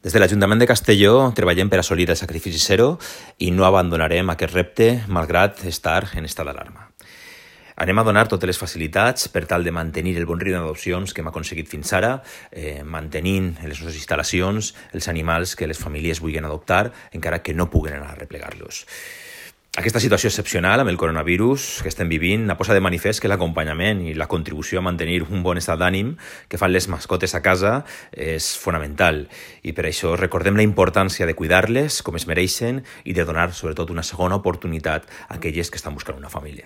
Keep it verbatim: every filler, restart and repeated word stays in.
Des de l'Ajuntament de Castelló treballem per assolir el sacrifici zero i no abandonarem aquest repte malgrat estar en estat d'alarma. Anem a donar totes les facilitats per tal de mantenir el bon ritme d'adopcions que hem aconseguit fins ara, eh, mantenint en les nostres instal·lacions els animals que les famílies vulguin adoptar, encara que no puguen anar a replegar-los. Aquesta situació excepcional amb el coronavirus que estem vivint ha posat de manifest que l'acompanyament i la contribució a mantenir un bon estat d'ànim que fan les mascotes a casa és fonamental i per això recordem la importància de cuidar-les com es mereixen i de donar sobretot una segona oportunitat a aquelles que estan buscant una família.